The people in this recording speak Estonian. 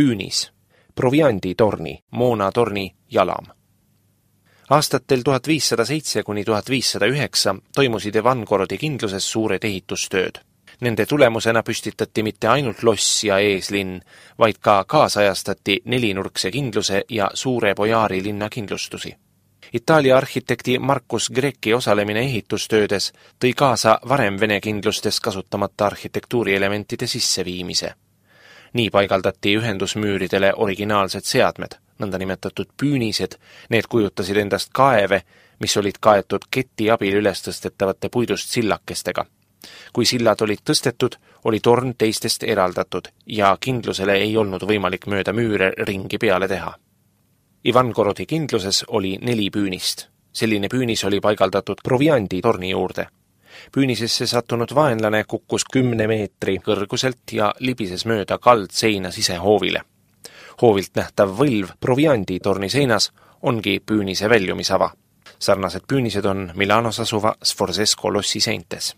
püünis, provianditorni, moonatorni jalam. Aastatel 1507 kuni 1509 toimusid Ivangorodi kindluses suured ehitustööd. Nende tulemusena püstitati mitte ainult loss ja eeslinn, vaid ka kaasajastati nelinurkse kindluse ja suure bojaari linna kindlustusi. Itaalia arhitekti Marcus Grecki osalemine ehitustöödes tõi kaasa varem Vene kindlustes kasutamata arhitektuurielementide sisseviimise. Nii paigaldati ühendusmüüridele originaalsed seadmed, nõndanimetatud püünised, need kujutasid endast kaeve, mis olid kaetud keti abil ülestõstetavate puidust sillakestega. Kui sillad olid tõstetud, oli torn teistest eraldatud ja kindlusele ei olnud võimalik mööda müüre ringi peale teha. Ivangorodi kindluses oli 4 püünist. Selline püünis oli paigaldatud provianditorni juurde. Püünisesse sattunud vaenlane kukkus 10 meetri kõrguselt ja libises mööda kaldseina sisehoovile. Hoovilt nähtav võlv provianditorni seinas ongi püünise väljumisava. Sarnased püünised on Milanos asuva Sforzesco lossi seintes.